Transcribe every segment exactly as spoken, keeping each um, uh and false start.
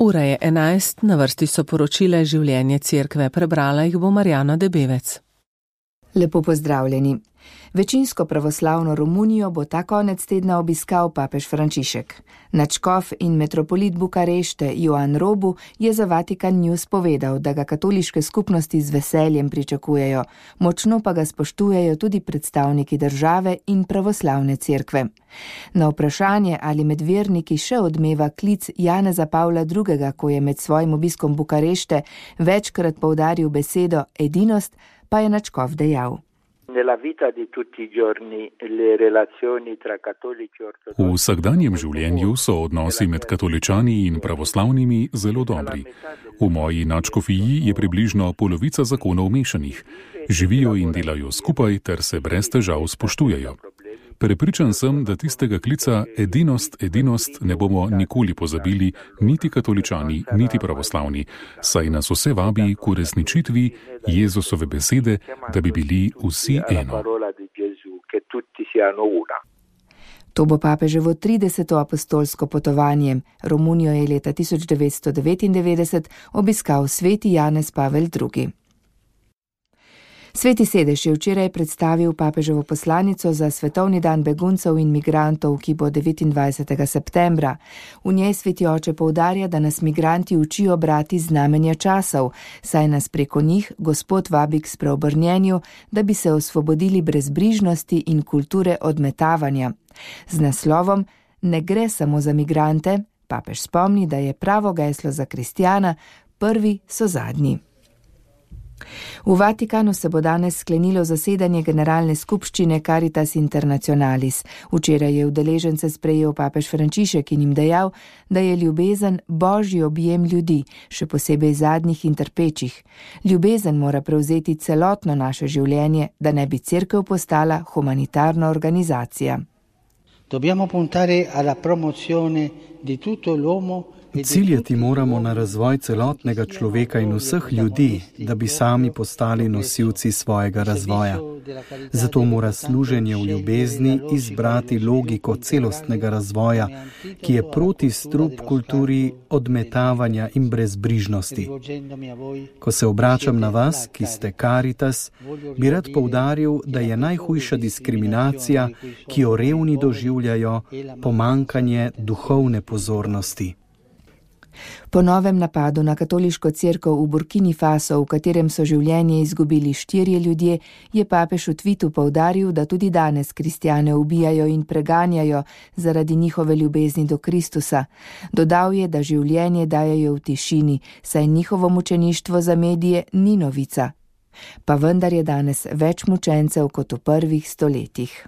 Ura je enajst, na vrsti so poročile življenje cerkve, prebrala jih bo Marjana Debevec. Lepo pozdravljeni. Večinsko pravoslavno Romunijo bo ta konec tedna obiskal papež Frančišek. Nadškof in metropolit Bukarešte Ioan Robu je za Vatikan News povedal, da ga katoliške skupnosti z veseljem pričakujejo, močno pa ga spoštujejo tudi predstavniki države in pravoslavne cerkve. Na vprašanje, ali med verniki še odmeva klic Janeza Pavla drugega, ko je med svojim obiskom Bukarešte večkrat poudaril besedo edinost, pa je nadškof dejal. V vsakdanjem življenju so odnosi med katoličani in pravoslavnimi zelo dobri. V moji nadškofiji je približno polovica zakonov mešanih. Živijo in delajo skupaj ter se brez težav spoštujejo. Prepričan sem, da tistega klica edinost, edinost ne bomo nikoli pozabili, niti katoličani, niti pravoslavni, saj nas vse vabi k uresničitvi Jezusove besede, da bi bili vsi eno. To bo papeževo trideseto apostolsko potovanje. Romunijo je leta tisoč devetsto devetindevetdeset obiskal sveti Janez Pavel drugi. Sveti sedež je včeraj predstavil papeževo poslanico za svetovni dan beguncev in migrantov, ki bo devetindvajsetega septembra. V njej sveti oče poudarja, da nas migranti učijo brati znamenja časov, saj nas preko njih Gospod vabi k spreobrnjenju, da bi se osvobodili brezbrižnosti in kulture odmetavanja. Z naslovom Ne gre samo za migrante, papež spomni, da je pravo geslo za kristjana, prvi so zadnji. V Vatikanu se bo danes sklenilo zasedanje generalne skupščine Caritas Internationalis. Včeraj je udeležence sprejel papež Frančišek in jim dejal, da je ljubezen božji objem ljudi, še posebej zadnjih in trpečih. Ljubezen mora prevzeti celotno naše življenje, da ne bi cerkev postala humanitarna organizacija. Dobbiamo puntare alla promozione di tutto l'uomo. Ciljati moramo na razvoj celotnega človeka in vseh ljudi, da bi sami postali nosilci svojega razvoja. Zato mora služenje v ljubezni izbrati logiko celostnega razvoja, ki je proti strup kulturi odmetavanja in brezbrižnosti. Ko se obračam na vas, ki ste Caritas, bi rad poudaril, da je najhujša diskriminacija, ki jo revni doživljajo, pomanjkanje duhovne pozornosti. Po novem napadu na katoliško cerkev v Burkini Faso, v katerem so življenje izgubili štirje ljudje, je papež v tvitu poudaril, da tudi danes kristjane ubijajo in preganjajo zaradi njihove ljubezni do Kristusa. Dodal je, da življenje dajejo v tišini, saj njihovo mučeništvo za medije ni novica. Pa vendar je danes več mučencev kot v prvih stoletjih.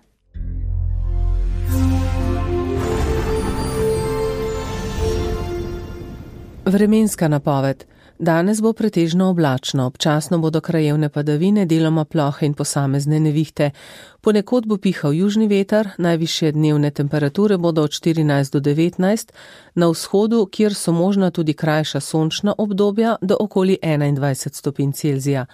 Vremenska napoved. Danes bo pretežno oblačno, občasno bodo krajevne padavine, deloma plohe in posamezne nevihte. Ponekod bo pihal južni veter, najvišje dnevne temperature bodo od štirinajst do devetnajst, na vzhodu, kjer so možna tudi krajša sončna obdobja, do okoli enaindvajset stopinj Celzija.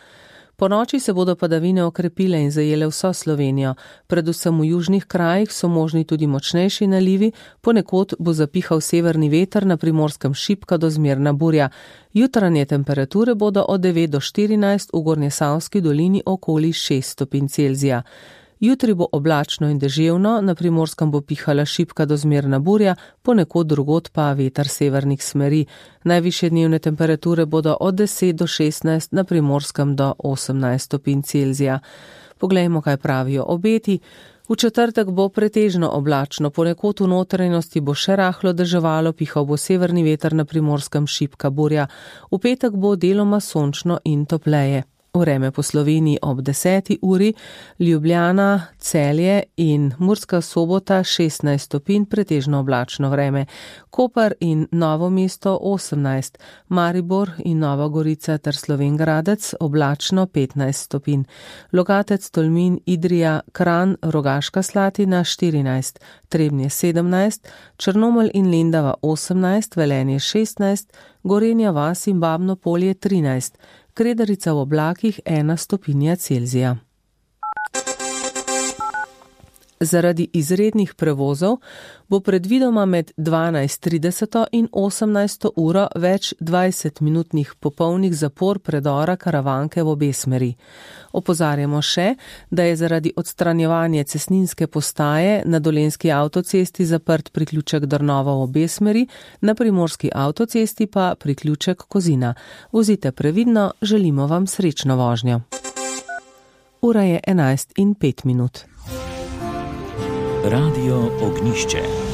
Po noči se bodo padavine okrepile in zajele vso Slovenijo. Predvsem v južnih krajih so možni tudi močnejši nalivi, ponekod bo zapihal severni veter, na Primorskem šibka do zmerna burja. Jutranje temperature bodo od devet do štirinajst, v Gornjesavski dolini okoli šest stopinj Celzija. Jutri bo oblačno in deževno, na Primorskem bo pihala šibka do zmerna burja, ponekod drugod pa veter severnih smeri. Najvišje dnevne temperature bodo od deset do šestnajst, na Primorskem do osemnajst stopinj Celzija. Poglejmo, kaj pravijo obeti. V četrtek bo pretežno oblačno, ponekod v notranjosti bo še rahlo deževalo, pihal bo severni veter, na Primorskem šibka burja. V petek bo deloma sončno in topleje. Vreme po Sloveniji ob deseti uri, Ljubljana, Celje in Murska Sobota šestnajst stopinj, pretežno oblačno vreme. Koper in Novo mesto osemnajst, Maribor in Nova Gorica ter Slovenj Gradec oblačno petnajst stopinj. Logatec, Tolmin, Idrija, Kranj, Rogaška Slatina štirinajst, Trebnje sedemnajst, Črnomelj in Lendava osemnajst, Velenje šestnajst, Gorenja vas in Babno Polje trinajst, Kredarica v oblakih ena stopinja Celzija. Zaradi izrednih prevozov bo predvidoma med dvanajst trideset in osemnajst uro več dvajsetminutnih popolnih zapor predora Karavanke v obe smeri. Opozarjamo še, da je zaradi odstranjevanja cestninske postaje na Dolenjski avtocesti zaprt priključek Drnova v obe smeri, na Primorski avtocesti pa priključek Kozina. Vozite previdno, želimo vam srečno vožnjo. Ura je enajst in pet minut. Radio Ognišče.